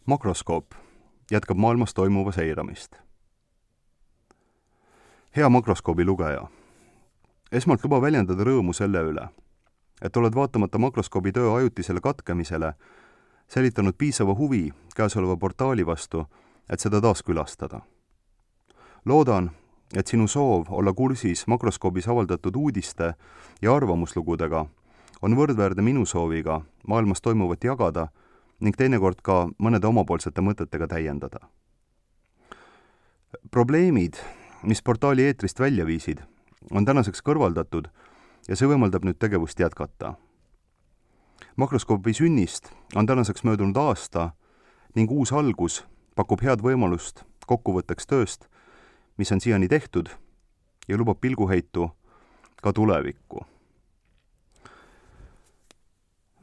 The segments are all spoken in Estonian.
Makroskoop jätkab maailmas toimuva seiramist. Hea makroskoobi lugeja, esmalt luba väljendada rõõmu selle üle, et oled vaatamata makroskoobi töö ajutisele katkemisele säilitanud piisava huvi käesoleva portaali vastu, et seda taas külastada. Loodan, et sinu soov olla kursis makroskoobis avaldatud uudiste ja arvamuslugudega on võrdväärne minu sooviga maailmas toimuvat jagada ning teinekord ka mõnede omapoolsete mõtetega täiendada. Probleemid, mis portaali eetrist välja viisid, on tänaseks kõrvaldatud ja see võimaldab nüüd tegevust jätkata. Makroskoobi sünnist on tänaseks möödunud aasta ning uus algus pakub head võimalust kokkuvõtteks tööst, mis on siiani tehtud ja lubab pilguheitu ka tulevikku.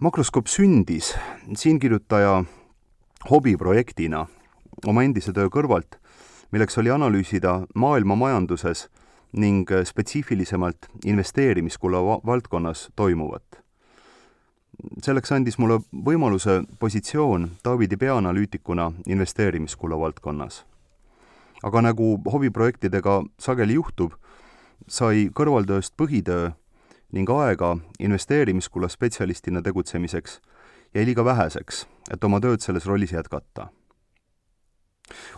Makroskoop sündis siinkirjutaja hobiprojektina oma endise töö kõrvalt, milleks oli analüüsida maailma majanduses ning spetsiifilisemalt investeerimiskula valdkonnas toimuvat. Selleks andis mulle võimaluse positsioon Taavidi peaanalüütikuna investeerimiskula valdkonnas. Aga nagu hobiprojektidega sageli juhtub, sai kõrvaltööst põhitöö ning aega investeerimiskula spetsialistina tegutsemiseks jäi liiga väheseks, et oma tööd selles rollis jätkata.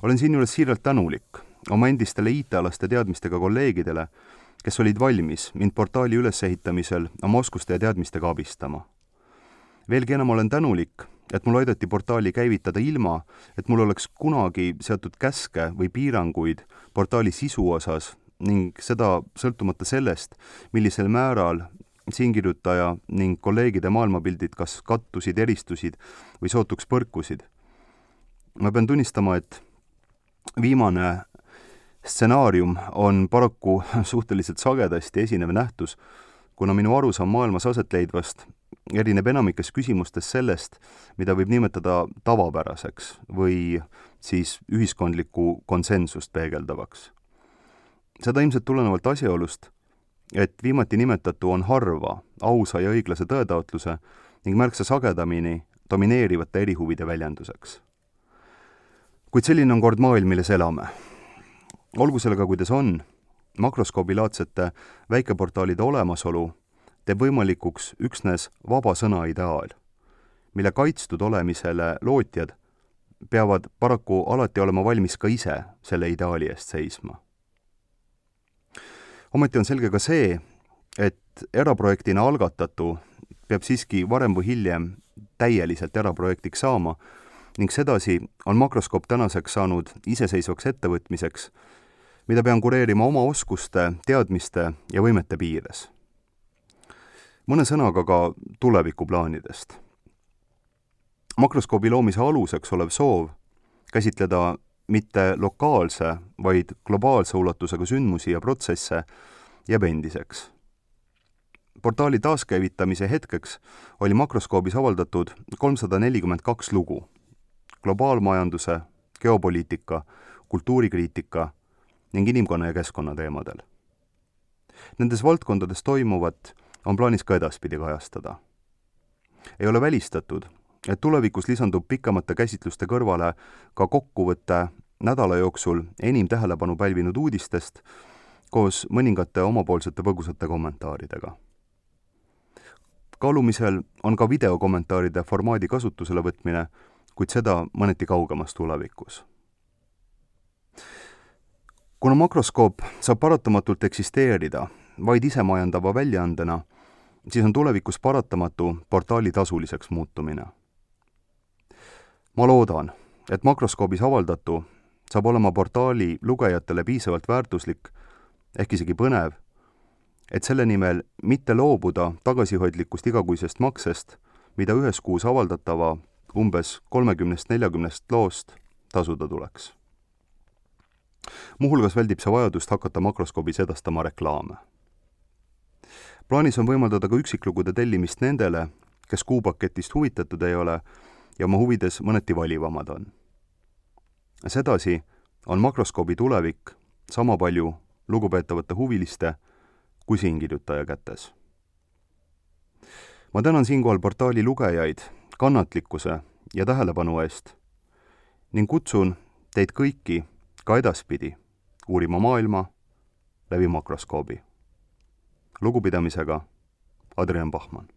Olen siinjuures siiralt tänulik oma endistele IT-alaste teadmistega kolleegidele, kes olid valmis mind portaali ülesehitamisel oma oskuste ja teadmistega abistama. Veelgi enam olen tänulik, et mul aidati portaali käivitada ilma, et mul oleks kunagi seatud käske või piiranguid portaali sisu osas ning seda sõltumata sellest, millisel määral siinkirjutaja ning kolleegide maailmapildid kas kattusid, eristusid või sootuks põrkusid. Ma pean tunnistama, et viimane stsenaarium on paraku suhteliselt sagedasti esinev nähtus, kuna minu arusaam maailmas aset leidvast erineb enamikes küsimustes sellest, mida võib nimetada tavapäraseks või siis ühiskondlikku konsensust peegeldavaks. Seda ilmselt tulenevalt asjaolust, et viimati nimetatu on harva ausa ja õiglase tõetaotluse ning märksa sagedamini domineerivate erihuvide väljenduseks. Kuid selline on kord maailm, milles elame. Olgu sellega, kuidas on, makroskoobilaadsete väikeportaalide olemasolu teeb võimalikuks üksnes vaba sõna ideaal, mille kaitstud olemisele lootjad peavad paraku alati olema valmis ka ise selle ideaali eest seisma. Ometi on selge ka see, et eraprojektina algatatu peab siiski varem või hiljem täieliselt eraprojektiks saama ning sedasi on makroskoop tänaseks saanud iseseisvaks ettevõtmiseks, mida pean kureerima oma oskuste, teadmiste ja võimete piires. Mõne sõnaga ka tulevikuplaanidest. Makroskoobi loomise aluseks olev soov käsitleda mitte lokaalse, vaid globaalse ulatusega sündmusi ja protsesse jääb endiseks. Portaali taaskäivitamise hetkeks oli makroskoobis avaldatud 342 lugu globaalmajanduse, geopoliitika, kultuurikriitika ning inimkonna ja keskkonna teemadel. Nendes valdkondades toimuvat on plaanis ka edaspidi kajastada. Ei ole välistatud, et tulevikus lisandub pikemate käsitluste kõrvale ka kokkuvõtte nädala jooksul enim tähelepanu pälvinud uudistest koos mõningate omapoolsete põgusate kommentaaridega. Kaalumisel on ka videokommentaaride formaadi kasutusele võtmine, kuid seda mõneti kaugemas tulevikus. Kuna makroskoop saab paratamatult eksisteerida vaid isemajandava väljaandena, siis on tulevikus paratamatu portaali tasuliseks muutumine. Ma loodan, et makroskoobis avaldatu saab olema portaali lugejatele piisavalt väärtuslik, ehk isegi põnev, et selle nimel mitte loobuda tagasihoidlikust igakuisest maksest, mida ühes kuus avaldatava umbes 30-40 loost tasuda tuleks. Muuhulgas väldib see vajadust hakata makroskoobis edastama reklaame. Plaanis on võimaldada ka üksiklugude tellimist nendele, kes kuupaketist huvitatud ei ole ja oma huvides mõneti valivamad on. Sedasi on makroskoobi tulevik sama palju lugupeetavate huviliste kui siinkirjutaja kätes. Ma tänan siinkohal portaali lugejaid kannatlikkuse ja tähelepanu eest ning kutsun teid kõiki ka edaspidi uurima maailma läbi makroskoobi. Lugupidamisega, Adrian Bachmann.